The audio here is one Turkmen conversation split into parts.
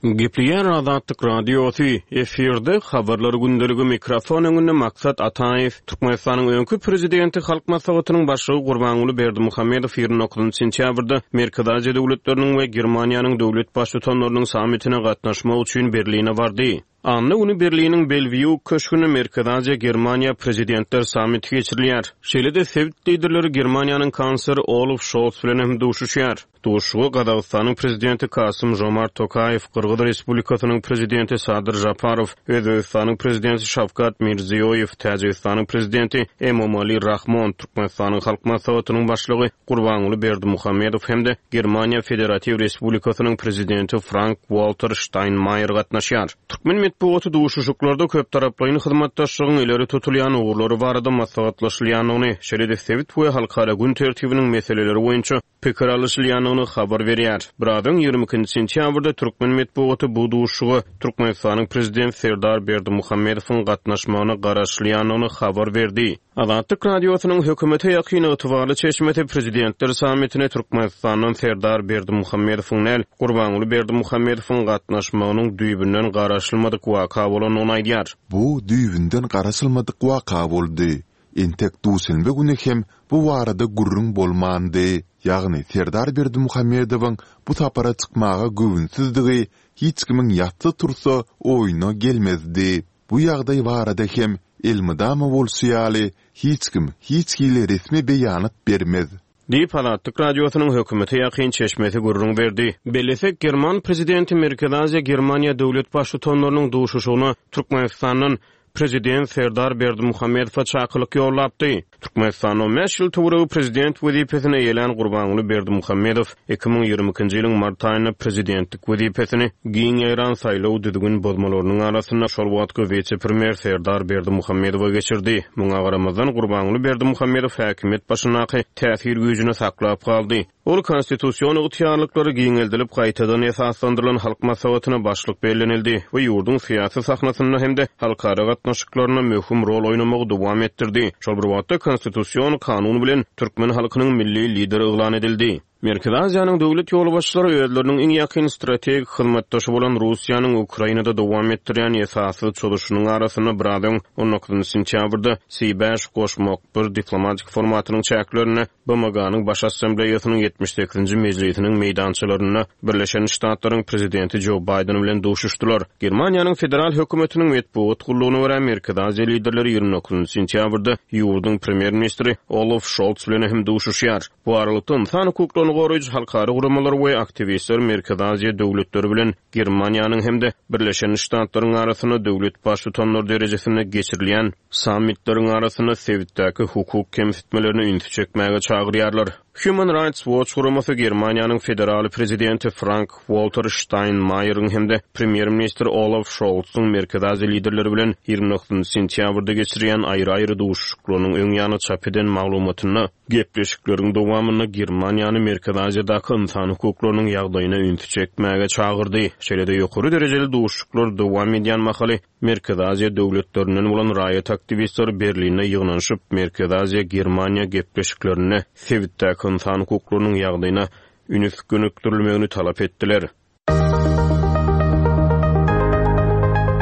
Gepleýär Azatlyk Radiosy, efirde Habarlar gündeligi mikrofon öňünde Maksat Ataýew. Türkmenistanyň öňki Prezidenti, Halk Maslahatynyň Başlygy Gurbanguly Berdimuhamedow 29 sentýabrda Merkezi Aziýa döwletleriniň we Germaniýanyň döwlet Baştutanlarynyň sammitine gatnaşmak üçin Berline bardy. Anna güni Berliniň Belwýu köşgünde Merkezi Aziýa-Germaniýa Prezidentler sammiti geçirilýär. Şeýle-de sebit liderleri Germaniýanyň kansleri Olaf Şolz bilen hem duşuşýar. Duşuşyga Gazagystanyň Prezidenti Kasym-Žomart Tokaýew, Gyrgyz Respublikasynyň Prezidenti Sadyr Žaparow, Özbegistanyň Prezidenti Şawkat Mirziýoýew, Täjigistanyň Prezidenti Emomali Rahmon, Türkmenistanyň Halk Maslahatynyň Başlygy Gurbanguly Berdimuhamedow hem-de Germaniýa Federatiw Respublikasynyň Prezidenti Frank-Walter Ştaýnmaýer gatnaşýar. Türkmen metbugaty duşuşyklarda köptaraplaýyn hyzmatdaşlygyň ileri tutulýan ugurlary barada maslahatlaşylýandygyny, şeýle-de sebit we halkara gün tertibiniň meseleleri boýunça pikir alyşylýandygyny habar berýär. Biraz öň, 22 sentýabrda türkmen metbugaty bu duşuşyga Türkmenistanyň Prezidenti Serdar Berdimuhamedowyň gatnaşmagyna garaşylýandygyny habar berdi. Azatlyk Radiosynyň hökümete ýakyn ygtybarly çeşmesi Prezidentler sammitine Türkmenistandan Serdar Berdimuhamedowyň däl, Gurbanguly Berdimuhamedowyň gatnaşmagynyň düýbünden garaşylmadyk waka bolandygyny aýdýar. Bu düýbünden garaşylmadyk waka boldy. Entek duşenbe güni hem bu barada gürrüň bolmandy. Ýagny Serdar Berdimuhamedowyň bu sapara çykmaga göwünsizdigi hiç kimiň ýatsa-tursa oýuna gelmezdi. Bu ýagdaý barada hem, elmydama bolşy ýaly, hiç kim hiç hili resmi beýanat bermez. Diýip, Azatlyk Radiosynyň hökümete ýakyn çeşmesi gürrüň berdi. Bellesek, german prezidenti Merkezi Aziýa-Germaniýa döwlet baştutanlarynyň duşuşygyna Türkmenistandan prezident Serdar Berdimuhamedowa çakylyk ýollapdy. Türkmenistanda on bäş ýyl töweregi prezident wezipesini eýelän Gurbanguly Berdimuhamedow 2022-nji ýylyň mart aýynda prezidentlik wezipesini giň ýaýran saýlaw düzgün bozmalarynyň arasynda şol wagtky wise-premýer Serdar Berdimuhamedowa geçirdi. Muňa garamazdan, Gurbanguly Berdimuhamedow häkimiýet başyndaky täsir güýjüni saklap galdy. Ol konstitusion ygtyýarlyklary giňeldilip gaýtadan esaslandyrylan Halk Maslahatyna başlyk bellenildi we ýurduň syýasy sahnasynda hem-de halkara gatnaşyklarynda möhüm rol oýnamagy dowam etdirdi. Şol bir wagtda Konstitusion kanun bilen türkmen halkynyň Milli Lideri yglan edildi. Merkezi Aziýanyň döwlet ýolbaşçylary özleriniň iň ýakyn strategik hyzmatdaşy bolan Russiýanyň Ukrainada dowam etdirýän esassyz çozuşynyň arasynda biraz öň, on dokuzynjy sentýabrda C-bäş goşmak bir diplomatik formatynyň çäklerinde BMG-niň Baş Assambleýasynyň 78-nji mejlisiniň meýdançalarynda Birleşen Ştatlaryň Prezidenti Jo Baýden bilen duşuşdylar. Germaniýanyň federal hökümetiniň metbugat gullugyna görä, Merkezi Aziýa liderleri 29 sentýabrda ýurduň Premýer-ministri Olaf Şolz bilen hem duşuşýar. Bu aralykda, ynsan hukuklaryny goraýjy halkara guramalar we aktiwistler Merkezi Aziýa döwletleri bilen Germaniýanyň hem-de Birleşen Ştatlaryň arasynda döwlet Baştutanlary derejesinde geçirilýän Sammitleriň arasynda sebitdäki hukuk kemsitmelerine ünsi çekmäge çagyrýarlar. Human Rights Watch guramasy Germaniýanyň federal prezidenti Frank-Walter Ştaýnmaýeriň hem-de premýer-ministr Olaf Şoltsyň Merkezi Aziýa liderleri bilen 29 sentýabrda geçirýän aýry-aýry duşuşyklarynyň öň ýany çap eden maglumatynda gepleşikleriň dowamynda Germaniýany Merkezi Aziýadaky ynsan hukuklarynyň ýagdaýyna ünsi çekmäge çagyrdy. Şeýle-de ýokary derejeli duşuşyklar dowam edýän mahaly Merkezi Aziýa döwletlerinden bolan raýat aktiwistleri Berlinde ýygnanyşyp, Merkezi Aziýa-Germaniýa gepleşiklerinde sebitdäki ynsan hukuklarynyň ýagdaýyna ünüs gönükdirilmegini talap etdiler.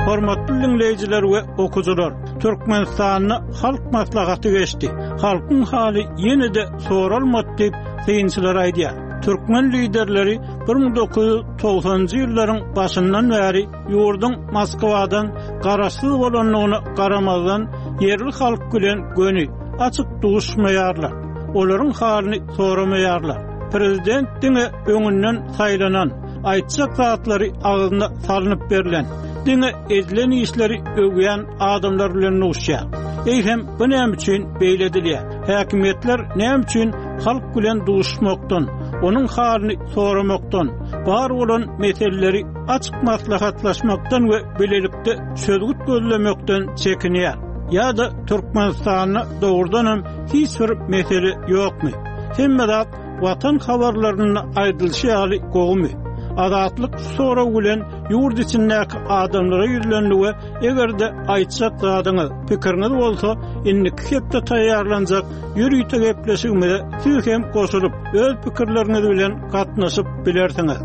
Hormatly diňleýjiler we okyjylar! Türkmenistanda Halk Maslahaty geçdi. Halkyň haly ýene-de soralmady diýip, synçylar aýdýar. Türkmen liderleri 1990-njy ýyllaryň başyndan bäri Ýurduň Moskwadan garaşsyz bolandygyna garamazdan, ýerli halk bilen göni, açyk duşmaýarlar. Olaryň halyny soramaýarlar. Prezident diňe öňünden saýlanan, aýtjak zatlary agzyna salnyp berlen, diňe edilen işleri öwýän adamlar bilen duşýar. Eýsem, bu näme üçin beýle edilýär? Häkimiýetler näme üçin halk bilen duşmakdan, onuň halyny soramakdan, bar bolan meseleleri açyk maslahatlaşmakdan we bilelikde çözgüt gözlemekden çekinýär. Ýa-da Türkmenistanda dogrudanam hiç bir mesele ýokmy? Hemme zat Watan habarlarynda aýdylyşy ýaly gowumy? Azatlyk şu sorag bilen ýurt içindäki adamlara ýüzlendi we eger-de aýtjak zadyňyz, pikiriňiz bolsa, indiki hepde taýýarlanjak ýörite gepleşigimize siz hem goşulyp, öz pikirleriňiz bilen gatnaşyp bilersiňiz.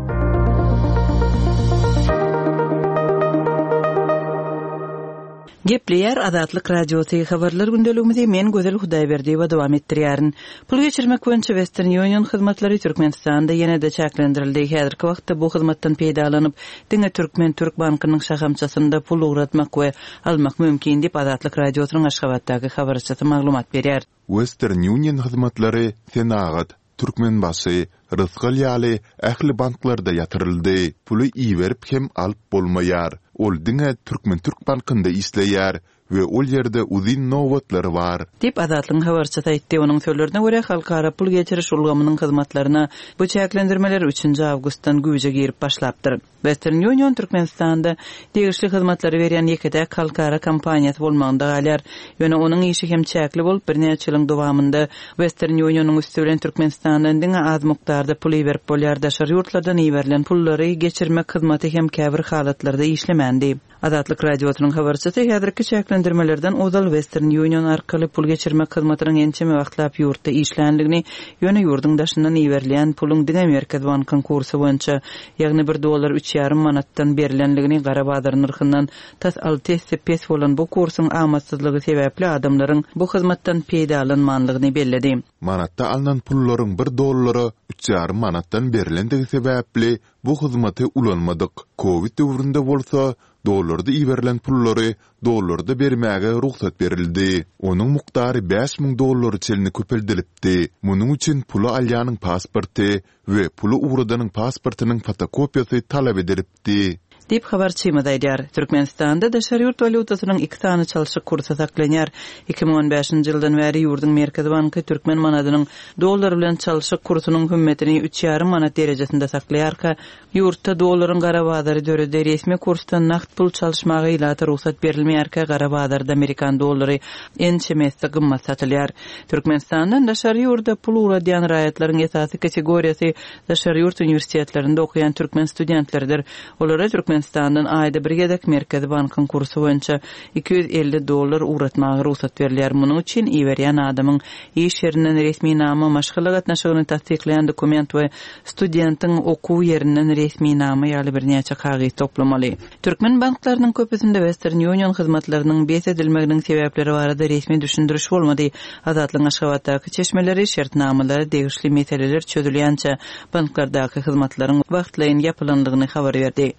Gepleýär Azatlyk Radiosy, Habarlar gündeligimizi men Gözel Hudaýberdiýewa dowam etdirýärin. Pul geçirmek boýunça Western Union hyzmatlary Türkmenistanda ýene-de çäklendirildi. Häzirki wagtda bu hyzmatdan peýdalanyp, diňe Türkmen-Türk bankynyň şahamçasynda pul ugratmak we almak mümkin diýip, Azatlyk Radiosynyň Aşgabatdaky habarçysy maglumat berýär. Western Union hyzmatlary Senagat, Türkmenbaşy, Rysgal ýaly ähli banklarda ýatyryldy. Puly iberip hem alyp bolmaýar. Ol diňe Türkmen-Türk bankynda işleýär we ol ýerde uzyn nobatlar bar. Diýip, Azatlygyň habarçysy aýtdy. Onuň sözlerine görä, halkara pul geçiriş ulgamynyň hyzmatlaryna bu çäklendirmeler üçünji awgustdan güýje girip başlapdyr. Western Union Türkmenistanda degişli hyzmatlary berýän ýeke-täk halkara kompaniýasy bolmagynda galýar. Ýöne onuň işi hem çäkli bolup, birnäçe ýylyň dowamynda Western Union-yň üsti bilen Türkmenistandan diňe az mukdarda pul iberip bolýar, daşary ýurtlardan iberilen pullary geçirmek hyzmaty hem käbir halatlarda işlemändi. Azatlyk Radiosynyň habarçysy häzirki çäklendirmelerden ozal Western Union arkaly pul geçirmek hyzmatynyň ençeme wagtlap ýurtda işländigini, ýöne ýurduň daşyndan iberilýän puluň diňe Merkezi bankyň kursy boýunça, ýagny bir dollar üç ýarym manatdan berlendigini, gara bazar nyrhyndan tas alty esse pes bolan bu kursuň amatsyzlygy sebäpli adamlaryň bu hyzmatdan peýdalanmanlygyny belledi. Manatda alnan pullaryň bir dollara üç ýarym manatdan berlendigi sebäpli Bu hyzmaty ulanmadyk. Kowid döwründe bolsa, dollarda iberilen pullary dollarda bermäge rugsat berildi. Onuň mukdary 5000 dollara çenli köpeldilipdi. Munuň üçin puly alýanyň pasporty we puly ugradanyň pasportynyň fotokopiýasy talap edilipdi. Diýip, habarçymyz aýdýar. Türkmenistanda daşary ýurt walýutasynyň iki sany çalşyk kursy saklanýar. 2015-nji ýyldan bäri ýurduň Merkezi banky türkmen manadynyň dollar bilen çalşyk kursunyň hümmetini üç ýarym manat derejesinde saklaýarka, ýurtda dollaryň gara bazary döredi, resmi kursdan nagt pul çalyşmaga ilata rugsat berilmeýärkä, gara bazarda amerikan dollary ençeme esse gymmat satylýar. Türkmenistandan daşary ýurda pul ugradýan raýatlaryň esasy kategoriýasy daşary ýurt uniwersitetlerinde okaýan türkmen studentleridir. Olara Türkmenistandan aýda bir gezek Merkezi bankyň kursy boýunça 250 dollar ugratmaga rugsat berilýär. Munuň üçin iberýän adamyň iş ýerinden resminama, maşgala gatnaşygyny tassyklaýan dokument we studentiň okuw ýerinden resminama ýaly birnäçe kagyz toplamaly. Türkmen banklarynyň köpüsinde Western Union hyzmatlarynyň bes edilmeginiň sebäpleri barada resmi düşündiriş bolmady. Azatlygyň Aşgabatdaky çeşmeleri şertnamalara degişli meseleler çözülýänçä banklardaky hyzmatlaryň wagtlaýyn ýapylandygyny habar berdi.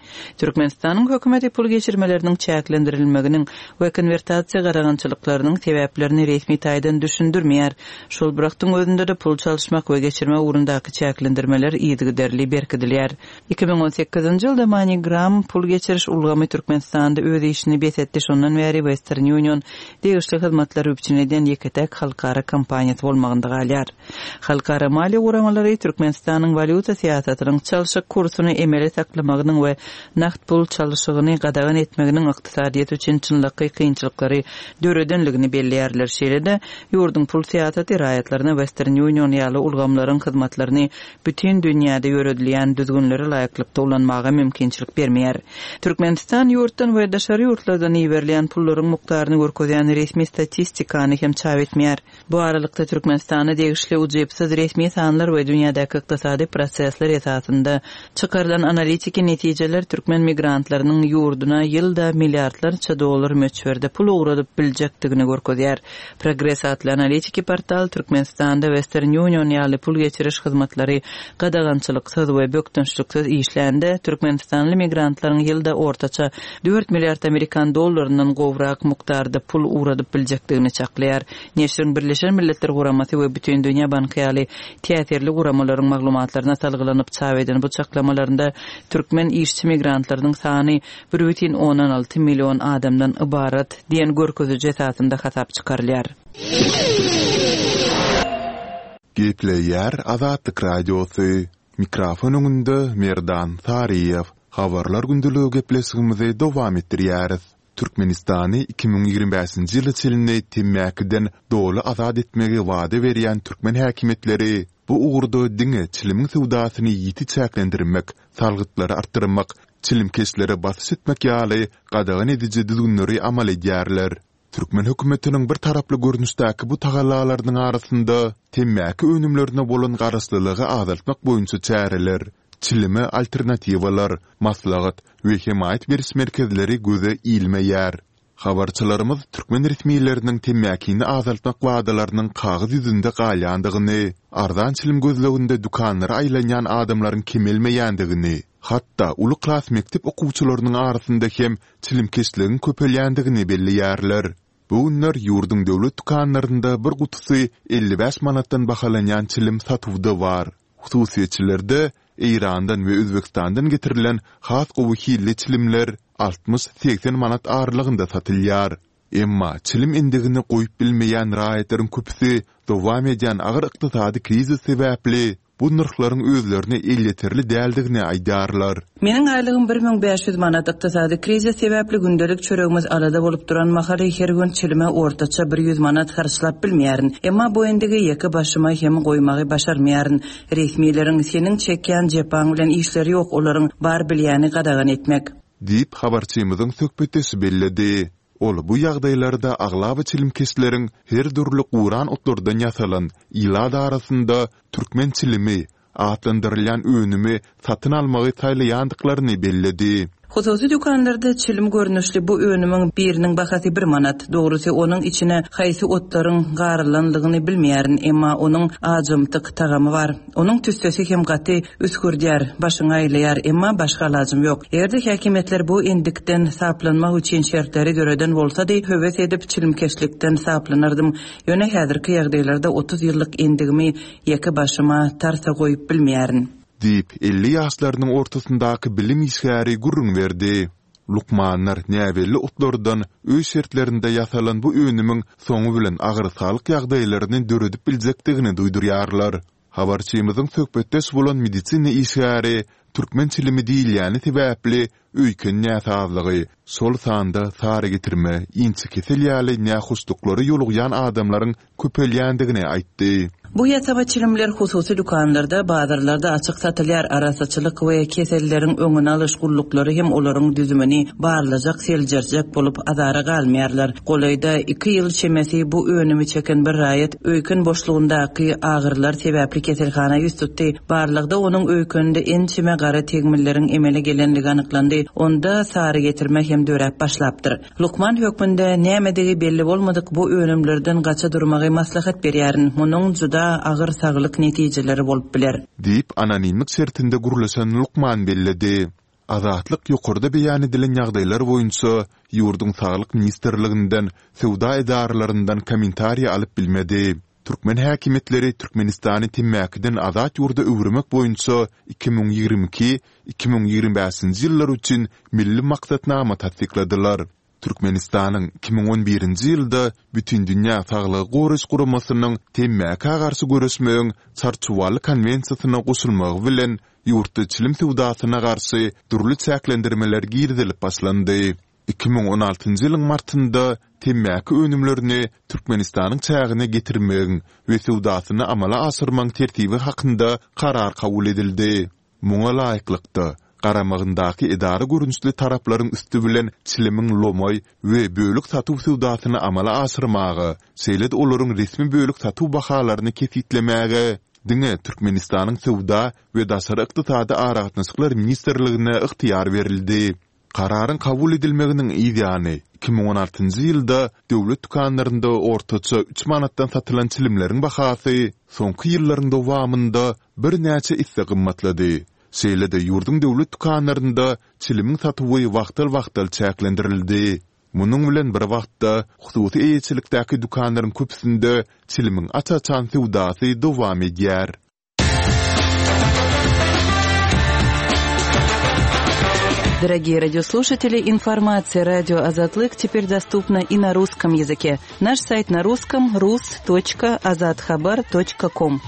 Türkmenistanyň hökümeti pul geçirmeleriniň çäklendirilmeginiň we konwertasiýa gadagançylyklarynyň sebäplerini resmi taýdan düşündirmeýär. Şol bir wagtyň özünde-de pul çalyşmak we geçirmek ugrundaky çäklendirmeler yzygiderli berkidilýär. 2018-nji ýylda MoneyGram pul geçiriş ulgamy Türkmenistanda öz işini bes etdi, şondan bäri Western Union degişli hyzmatlary üpjün edýän ýeke-täk halkara kompaniýasy bolmagynda galýar. Halkara maliýe guramalary Türkmenistanyň walýuta syýasatynyň çalşyk kursuny emeli saklamagynyň we nagt pul çalşygyny gadagan etmeginiň ykdysadyýet üçin çynlakaý kynçylyklary döredenligini belleýärler. Şeýle-de, ýurduň pul syýasaty raýatlaryna Western Union ýaly ulgamlaryň hyzmatlaryny bütin dünýäde ýöredilýän düzgünlere laýyklykda ulanmaga mümkinçilik bermeýär. Türkmenistan ýurtdan we daşary ýurtlardan iberilýän pullaryň mukdaryny görkezýän resmi statistikany hem çap etmeýär. Bu aralykda, Türkmenistana degişli ujypsyz resmi sanlar we dünýädäki ykdysady prosesler esasynda çykarylan analitiki netijeler türkmen migrantlarynyň ýurduna ýylda milliardlarça dollar möçberde pul ugradyp biljekdigini görkezýär. Progres atly analitiki portal Türkmenistanda Western Union ýaly pul geçiriş hyzmatlary gadagançylyksyz we bökdençliksiz işlände, türkmenistanly migrantlaryň ýylda ortaça dört milliard amerikan dollaryndan gowrak mukdarda pul ugradyp biljekdigini çaklaýar. Neşiriň Birleşen Milletler Guramasy we Bütindünýä Banky ýaly täsirli guramalaryň maglumatlaryna salgylanyp çap eden bu çaklamalarynda türkmen işçi migrantlarynyň sany 1,6 million adamdan ybarat diýen görkeziji esasynda hasap çykarylýar. Gepleýär Azatlyk Radiosy, Mikrofon öňünde Merdan Saryýew. Habarlar gündeligi gepleşigimizi dowam etdirýäris. Türkmenistany 2025-nji ýyla çenli temmäkiden doly azat etmegi wada berýän türkmen häkimiýetleri bu ugurda diňe çilimiň söwdasyny ýiti çäklendirmek, salgytlary artdyrmak, çilimkeşlere basyş etmek ýaly gadagan ediji düzgünleri amal edýärler. Türkmen hökümetiniň bir taraply görnüşdäki bu tagallalarynyň arasynda temmäki önümlerine bolan garaşlylygy azaltmak boýunça çäreler, çilime alternatiwalar, maslahat we hemaýat beriş merkezleri göze ilmeýär. Habarçylarymyz türkmen resmileriniň temmäkini azaltmak wadalarynyň kagyz ýüzünde galýandygyny, arzan çilim gözleginde dükanlara aýlanýan adamlaryň kemelmeýändigini, hatda uly klas mekdep okuwçylarynyň arasynda hem çilimkeşligiň köpelýändigini belleýärler. Bu günler ýurduň döwlet dükanlarynda bir gutusy 55 manatdan bahalanýan çilim satuwda bar. Hususyýetçilerde Eýrandan we Özbegistandan getirilen has gowy hilli çilimler 60-80 manat aralygynda satylýar. Emma çilim endigini goýup bilmeýän raýatlaryň köpüsi dowam edýän agyr ykdysady krizis sebäpli bu nyrhlaryň özlerine elýeterli däldigini aýdýarlar. Meniň aýlygym 1500 manat. Ykdysady krizis sebäpli gündelik çöregimiz alada bolup duran mahaly her gün çilime ortaça bir ýüz manat harçlap bilmeýärin. Emma bu endigi ýeke başyma hem goýmagy başarmaýaryn. Resmileriň seniň çekýän jepaň bilen işleri ýok, olaryň bar bilýäni gadagan etmek. Diýip, habarçymyzyň söhbetdeşi belledi. Ol bu ýagdaýlarda aglaba çilimkeşleriň her dürli guran otlardan ýasalan, ilat arasynda türkmen çilimi atlandyrylýan önümi satyn almagy saýlaýandyklaryny belledi. Hususy dükanlarda çilim görnüşli bu önümiň biriniň bahasy bir manat. Dogrusy, onuň içine haýsy otlaryň garylanlygyny bilmeýärin, emma onuň ajymtyk tagamy bar. Onuň tüssesi hem gaty üsgürdýär, başyňy aýlaýar, emma başga alajym ýok. Eger-de häkimiýetler bu endikden saplanmak üçin şertleri döreden bolsady, höwes edip çilimkeşlikden saplanardym. Ýöne häzirki ýagdaýlarda 30 ýyllyk endigimi ýeke başyma tarsa goýup bilmeýärin. Diýip, 50 ýaşlarynyň ortasyndaky bilim işgäri gürrüň berdi. Lukmanlar näbelli otlardan öý şertlerinde ýasalan bu önümiň soňy bilen agyr saglyk ýagdaýlaryny döredip biljekdigini duýdurýarlar. Habarçymyzyň söhbetdeş bolan medisina işgäri türkmen çilimi diýilýäni sebäpli öýken näsazlygy, şol sanda sarygetirme, inçekesel ýaly nähoşluklara ýolugýan adamlaryň köpelýändigini aýtdy. Bu ýasama çilimler hususy dükanlarda, bazarlarda açyk satylýar, arassaçylyk we keselleriň öňüni alyş gulluklary hem olaryň düzümini barlajak, seljerjek bolup azara galmaýarlar. Golaýda iki ýyl çemesi bu önümi çeken bir raýat öýken boşlugyndaky agyrylar sebäpli keselhana ýüz tutdy. Barlagda onuň öýkeninde ençeme gara tegmilleriň emele gelenligi anyklandy, onda sarygetirme hem döräp başlapdyr. Lukman hökmünde nämedigi belli bolmadyk bu önümlerden gaça durmagy maslahat berýärin, munuň juda agyr saglyk netijeleri bolup biler. Diýip, anonimlik şertinde gürleşen lukman belledi. Azatlyk ýokarda beýan edilen ýagdaýlar boýunça ýurduň Saglyk ministrliginden, söwda edaralaryndan kommentariý alyp bilmedi. Türkmen häkimiýetleri Türkmenistany temmäkiden azat ýurda öwürmek boýunça 2022, 2025-nji ýyllar üçin milli maksatnama tassykladylar. Türkmenistanyň 2011-nji ýylda Bütindünýä Saglygy Goraýyş Guramasynyň temmäkä garşy göreşmegiň Çarçuwaly konwensiýasyna goşulmagy bilen ýurtda çilim söwdasyna garşy dürli çäklendirmeler girizilip başlandy. 2016-njy ýylyň martynda temmäki önümlerini Türkmenistanyň çägine getirmegiň we söwdasyny amala aşyrmagyň tertibi hakynda karar kabul edildi. Muňa laýyklykda, garamagyndaky edara görnüşli taraplaryň üsti bilen çilimiň lomaý we bölek satuw söwdasyny amala aşyrmaga, şeýle-de olaryň resmi bölek satuw bahalaryny kesgitlemäge diňe Türkmenistanyň Söwda we daşary ykdysady aragatnaşyklar ministrligine ygtyýar berildi. Kararyň kabul edilmeginiň yz ýany, 2016-njy ýylda döwlet dükanlarynda ortaça üç manatdan satylan çilimleriň bahasy soňky ýyllaryň dowamynda birnäçe esse gymmatlady. Şeýle-de ýurduň döwlet dükanlarynda çilimiň satuwy wagtal-wagtal çäklendirildi. Munuň bilen bir wagtda, hususy eýeçilikdäki dükanlaryň köpüsinde çilimiň aç-açan söwdasy dowam edýär. Дорогие радиослушатели, информация радио Азатлык теперь доступна и на русском языке. Наш сайт на русском rus.azathabar.com.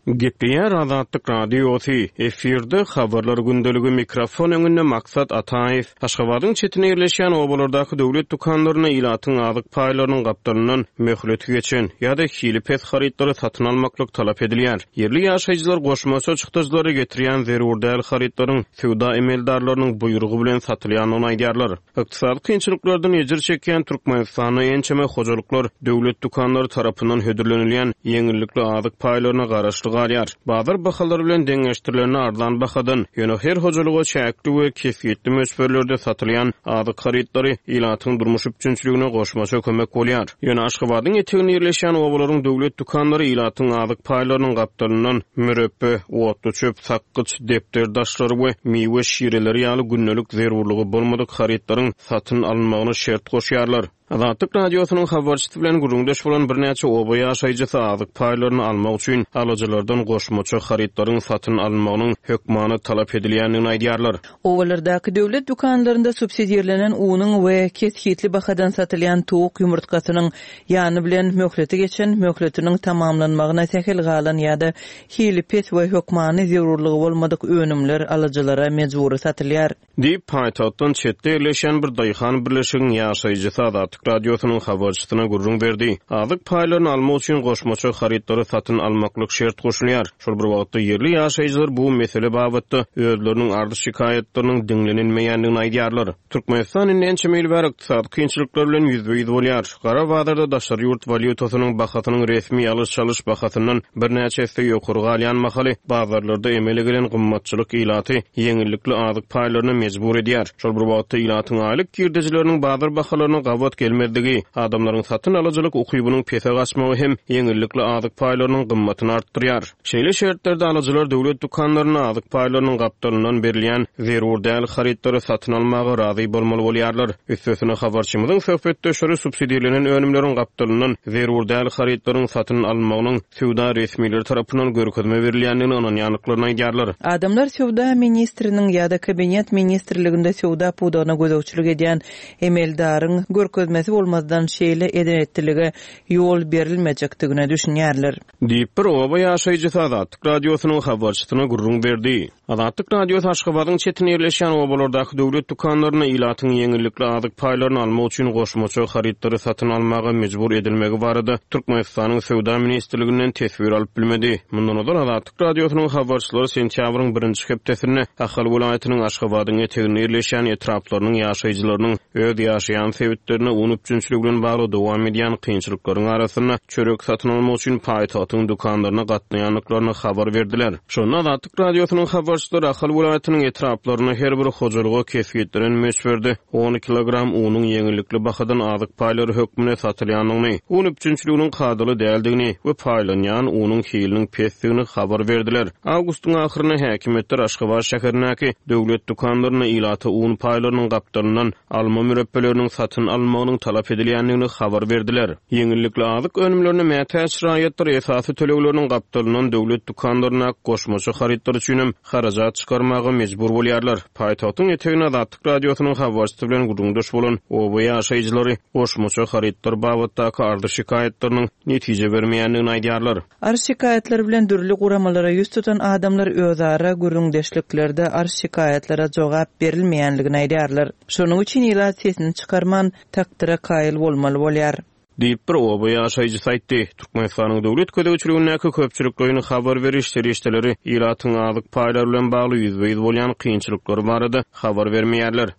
Gepleýär Azatlyk Radiosy, efirde Habarlar gündeligi, mikrofon öňünde Maksat Ataýew. Aşgabadyň çetinde ýerleşýän obalardaky döwlet dükanlarynda ilatyň azyk paýlarynyň gapdalyndan möhleti geçen ýa-da hili pes harytlary satyn almaklyk talap edilýär. Ýerli ýaşaýjylar goşmaça çykdajylara getirýän zerur däl harytlaryň söwda emeldarlarynyň buýrugy bilen satylýandygyny aýdýarlar. Ykdysady kynçylyklardan ejir çekýän Türkmenistanda ençeme hojalyklar döwlet dükanlary tarapyndan hödürlenilýän ýeňillikli azyk paýlaryna garaşly. galýar. Bazar bahalary bilen deňeşdirilende arzan bahadan, ýöne her hojalyga çäkli we kesgitli möçberlerde satylýan azyk harytlary ilatyň durmuş üpjünçiligine goşmaça kömek bolýar. Ýöne Aşgabadyň eteginde ýerleşýän obalaryň döwlet dükanlary ilatyň azyk paýlarynyň gapdalyndan mürepbe, otluçöp, sakgyç, depder daşlary we miwe şireleri ýaly gündelik zerurlygy bolmadyk harytlaryň satyn alynmagyna şert goşýarlar. Azatlyk Radiosynyň habarçysy bilen gürrüňdeş bolan birnäçe oba ýaşaýjysy azyk paýlaryny almak üçin alyjylardan goşmaça harytlaryň satyn alynmagynyň hökmany talap edilýändigini aýdýarlar. Obalardaky döwlet dükanlarynda subsidirlenen unuň we kesgitli bahadan satylýan towuk ýumurtgasynyň ýany bilen möhleti geçen, möhletiniň tamamlanmagyna sähel galan ýa-da hili pes we hökmany zerurlygy bolmadyk önümler alyjylara mejbury satylýar. Diýip, paýtagtdan çetde ýerleşýän bir daýhan birleşigiň ýaşaýjysy Azatlyk Radiosynyň habarçysyna gürrüň berdi. Azyk paýlaryny almak üçin goşmaça harytlary satyn almaklyk şert goşulýar. Şol bir wagtda, ýerli ýaşaýjylar bu mesele babatda özleriniň arz-şikaýatlarynyň diňlenilmeýändigini aýdýarlar. Türkmenistan indi ençeme ýyl bäri ykdysady kynçylyklar bilen ýüzbe-ýüz bolýar. Gara bazarda daşary ýurt walýutasynyň bahasynyň resmi alyş-çalyş bahasyndan birnäçe esse ýokary galýan mahaly, bazarlarda emele gelen gymmatçylyk ilaty ýeňillikli azyk paýlaryna mejbur edýär. Şol bir wagtda, ilatyň aýlyk girdejileriniň bazar bahalaryna gabat gelmezligi, adamlaryň satyn alyjylyk ukybynyň pese gaçmagy hem ýeňillikli azyk paýlarynyň gymmatyny artdyrýar. Şeýle şertlerde alyjylar döwlet dükanlarynda azyk paýlarynyň gapdalyndan berilýän zerur däl harytlary satyn almaga razy bolmaly bolýarlar. Üstesine, habarçymyzyň söhbetdeşleri subsidirlenen önümleriň gapdalyndan zerur däl harytlaryň satyn alynmagynyň söwda resmileri tarapyndan görkezme berilýändigine ynanýandyklaryny aýdýarlar. Adamlar söwda ministriniň ýa-da kabinet ministrliginde söwda pudagyna gözegçilik edýän emeldaryň görkezmesi bolmazdan şeýle eden-etdilige ýol berilmejekdigine düşünýärler. Diýip, bir oba ýaşaýjysy Azatlyk Radiosynyň habarçysyna gürrüň berdi. Azatlyk Radiosy Aşgabadyň çetinde ýerleşýän obalardaky döwlet dükanlarynda ilatyň ýeňillikli azyk paýlaryny almak üçin goşmaça harytlary satyn almaga mejbur edilmegi barada Türkmenistanyň Söwda ministrliginden teswir alyp bilmedi. Mundan ozal Azatlyk Radiosynyň habarçylary sentýabryň birinji hepdesinde Ahal welaýatynyň Aşgabadyň eteginde ýerleşýän etraplarynyň ýaşaýjylarynyň öz ýaşaýan sebitlerinde un üpjünçiligi bilen bagly dowam edýän kynçylyklaryň arasynda çörek satyn almak üçin paýtagtyň dükanlaryna gatnaýandyklaryny habar berdiler. Şonda Azatlyk Radiosynyň habarçylary Ahal welaýatynyň etraplarynda her bir hojalyga kesgitlenen möçberde on kilogram unuň ýeňillikli bahadan azyk paýlary hökmünde satylýandygyny, un üpjünçiliginiň kadaly däldigini we paýlanýan unuň hiliniň pesdigini habar berdiler. Awgustyň ahyrynda häkimiýetler Aşgabat şäherindäki döwlet dükanlarynda ilata un paýlarynyň gapdalyndan alma mürepbeleriniň satyn alynmagynyň talap edilýändigini habar berdiler. Ýeňillikli azyk önümlerine mätäç raýatlar esasy tölegleriniň gapdalyndan döwlet dükanlaryndaky goşmaça harytlar üçinem harajat çykarmaga mejbur bolýarlar. Paýtagtyň eteginde Azatlyk Radiosynyň habarçysy bilen gürrüňdeş bolan oba ýaşaýjylary goşmaça harytlar babatdaky arzy-şikaýatlarynyň netije bermeýändigini aýdýarlar. Arz-şikaýatlar bilen dürli guramalara ýüz tutan adamlar özara gürrüňdeşliklerde arz-şikaýatlara jogap berilmeýänligini aýdýarlar. Şonuň üçin ilat sesini çykarman, takdyra kaýyl bolmaly bolýar. Diýip, bir oba ýaşaýjysy aýtdy. Türkmenistanyň döwlet gözegçiligindäki köpçülikleýin habar beriş serişdeleri ilatyň azyk paýlary bilen bagly ýüzbe-ýüz bolýan kynçylyklary barada habar bermeýärler.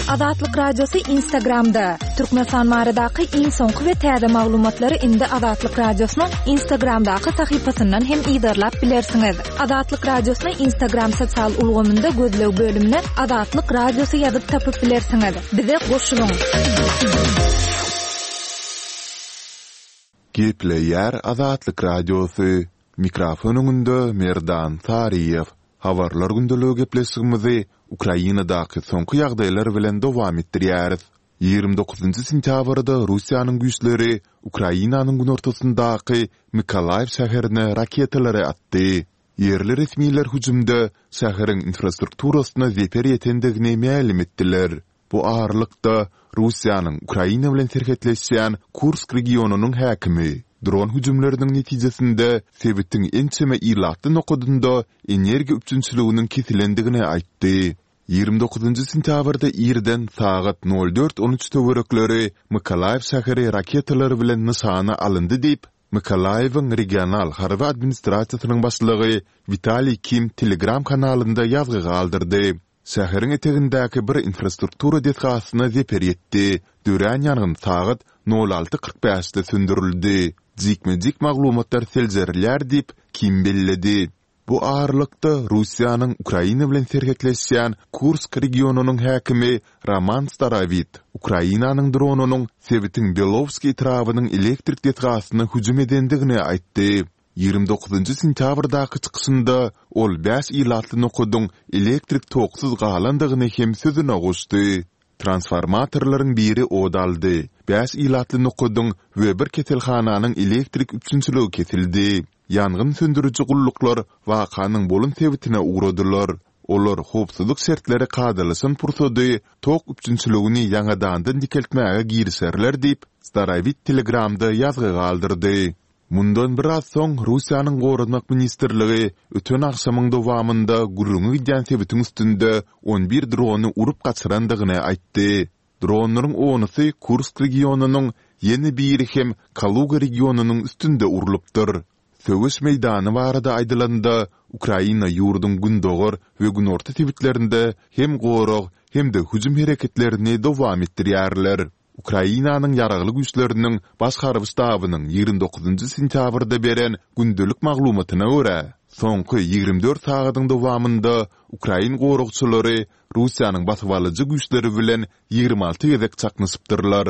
Azatlyk Radiosy Instagramda, Türkmenistan baradaky iň soňky we täze maglumatlary indi Azatlyk Radiosynyň Instagramdaky sahypasyndan hem yzarlap bilersiňiz. Azatlyk Radiosyny Instagram sosial ulgamynda gözleg bölümine Azatlyk Radiosy ýazyp tapyp bilersiňiz. Bize goşulyň! Gepleýär Azatlyk Radiosy, Mikrofon öňünde Merdan Saryýew. Habarlar gündeligi gepleşigimizi Ukrainadaky soňky ýagdaýlar bilen dowam etdirýäris. 29 sentýabrda Russiýanyň güýçleri Ukrainanyň günortasyndaky Mykolaýiw şäherine raketalary atdy. Ýerli resmiler hüjümde şäheriň infrastrukturasyna zeper ýetendigini mälim etdiler. Bu aralykda, Russiýanyň Ukraina bilen serhetleşýän Kursk regionynyň häkimi dron hüjümleriniň netijesinde sebitiň ençeme ilatly nokadynda energiýa üpjünçiliginiň kesilendigini aýtdy. 29 sentýabrda irden sagat nol dört on üç töwerekleri Mykolaýiw şäheri raketalar bilen nyşana alyndy diýip, Mykolaýiwiň regional harby administrasiýasynyň başlygy Witaliý Kim Telegram kanalynda ýazgy galdyrdy. Şäheriň etegindäki bir infrastruktura desgasyna zeper ýetdi. Dörän ýangyn sagat nol alty 45 de söndürildi. Jikme-jik maglumatlar seljerilýär diýip, Kim belledi. Bu aralykda, Russiýanyň Ukraina bilen serhetleşýän Kursk regionynyň häkimi Roman Starowit Ukrainanyň dronynyň sebitiň Belowskiý etrabynyň elektrik desgasyna hüjüm edendigini aýtdy. 29 sentýabrdaky çykyşynda ol bäş ilatly nokadyň elektrik toksuz galandygyny hem sözüne goşdy. Transformatorlaryň biri ot aldy, bäş ilatly nokadyň we bir keselhananyň elektrik üpjünçiligi kesildi. Ýangyn söndüriji gulluklar wakanyň bolan sebitine ugradylar. Olar howpsuzlyk şertleri kadalaşan pursady tok üpjünçiligini ýaňadandan dikeltmäge girişerler diýip, Starowit Telegramda ýazgy galdyrdy. Mundan biraz soň Russiýanyň Goranmak ministrligi öten agşamyň dowamynda gürrüňi gidýän sebitiň üstünde on bir drony urup gaçyrandygyny aýtdy. Dronlaryň onusy Kursk regionynyň, ýene biri hem Kaluga regionynyň üstünde urlupdyr. Söweş meýdany barada aýdylanda, Ukraina ýurduň gündogar we günorta sebitlerinde hem gorag, hem-de hüjüm hereketlerini dowam etdirýärler. Ukrainanyň Ýaragly Güýçleriniň Baş harby ştabynyň 29 sentýabrda beren gündelik maglumatyna görä, soňky 24 sagadyň dowamynda ukrain goragçylary Russiýanyň basybalyjy güýçleri bilen 26 gezek çaknyşypdyrlar.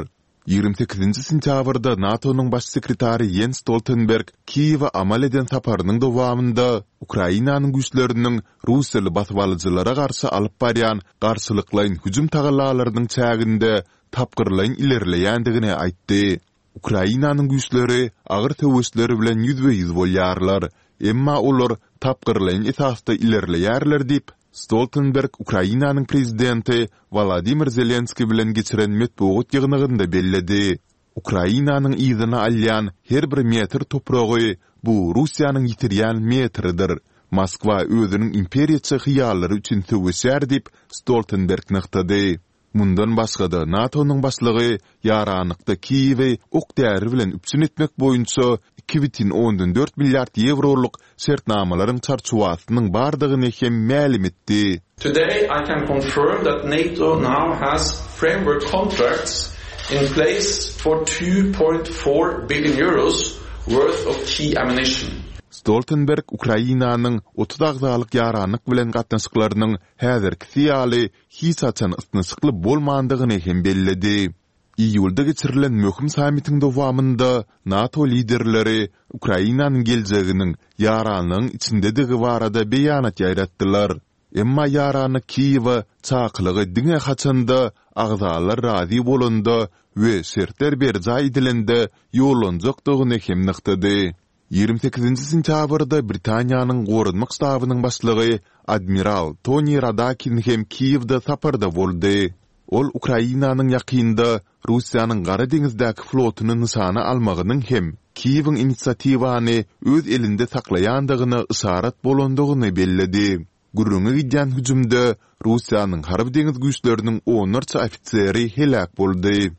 28-nji sentýabrda NATO-nyň Baş sekretary Ýens Stoltenberg Kiýewe amal eden saparynyň dowamynda Ukrainanyň güýçleriniň russiýaly basybalyjylara garşy alyp barýan garşylyklaýyn hüjüm tagallalarynyň çäginde tapgyrlaýyn ilerleýändigini aýtdy. Ukrainanyň güýçleri agyr söweşler bilen ýüzbe-ýüz bolýarlar, emma olar tapgyrlaýyn esasda ilerleýärler diýip, Stoltenberg Ukrainanyň prezidenti Wolodymyr Zelenskiý bilen geçiren metbugat ýygnagynda belledi. Ukrainanyň yzyna alýan her bir metr topragy bu Russiýanyň ýitirýän metridir. Moskwa özüniň imperiýaçy hyýallary üçin söweşýär diýip, Stoltenberg nygtady. Mundan başga-da, NATO-nyň başlygy ýaranlykda Kiýewi ok-däri bilen üpjün etmek boýunça 2,4 milliard ýewrolyk şertnamalaryň çarçuwasynyň bardygyny hem mälim etdi. Today I can confirm that NATO now has framework contracts in place for 2.4 billion euros worth of key ammunition. Stoltenberg Ukrainanyň 30 agzalyk ýaranlyk bilen gatnaşyklarynyň häzirkisi ýaly hiç haçan ysnyşykly bolmandygyny hem belledi. Iýulda geçirilen möhüm sammitiň dowamynda NATO liderleri Ukrainanyň geljeginiň ýaranlygyň içindedigi barada beýanat ýaýratdylar. Emma ýaranlyk Kiýewe çakylygy diňe haçanda agzalar razy bolanda we şertler berjaý edilende ýollanjakdygyny hem nygtady. 28 sentýabrda Britaniýanyň Goranmak ştabynyň başlygy admiral Toni Radakin hem Kiýewde saparda boldy. Ol Ukrainanyň ýakynda Russiýanyň Gara deňizdäki flotuny nyşana almagynyň hem Kiýewiň inisiatiwany öz elinde saklaýandygyna yşarat bolandygyny belledi. Gürrüňi gidýän hüjümde Russiýanyň harby-deňiz güýçleriniň onlarça ofiseri heläk boldy.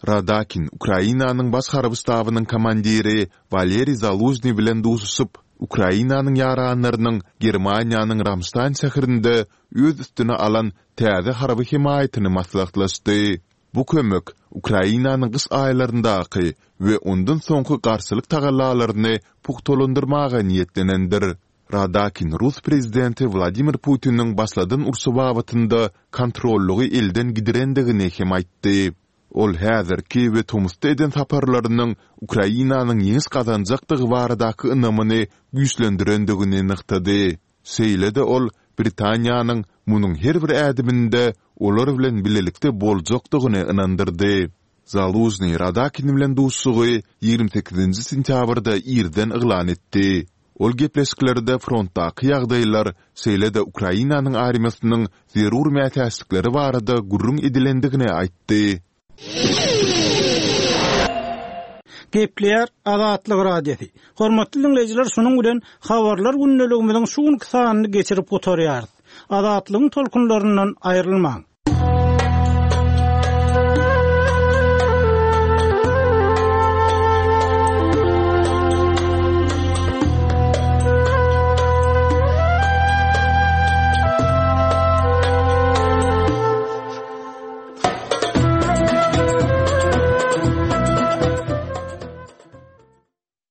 Radakin Ukrainanyň Baş harby ştabynyň komandiri Waleriý Zalužnyý bilen duşuşyp, Ukrainanyň ýaranlarynyň Germaniýanyň Ramştaýn şäherinde öz üstüne alan täze harby hemaýatyny maslahatlaşdy. Bu kömek Ukrainanyň gyş aýlaryndaky we ondan soňky garşylyk tagallalaryny pugtalandyrmaga niýetlenendir. Radakin rus prezidenti Wladimir Putiniň başladan urşy babatynda kontrollygy elden gidirendigini hem aýtdy. Ol häzirki we tomusda eden saparlarynyň Ukrainanyň ýeňiş gazanjakdygy baradaky ynamyny güýçlendirendigini nygtady. Şeýle-de ol Britaniýanyň munuň her bir ädiminde olar bilen bilelikde boljakdygyny ynandyrdy. Zalužnyý Radakin bilen duşuşygy 28-nji sentýabrda irden yglan etdi. Ol gepleşiklerde frontdaky ýagdaýlar, şeýle-de Ukrainanyň armiýasynyň zerur mätäçlikleri barada gürrüň edilendigini aýtdy. Gepleýär Azatlyk Radiosy. Hormatly diňleýjiler, şunuň bilen Habarlar gündeligimiziň şu günki sanyny geçirip gutarýarys. Azatlygyň tolkunlaryndan aýrylmaň!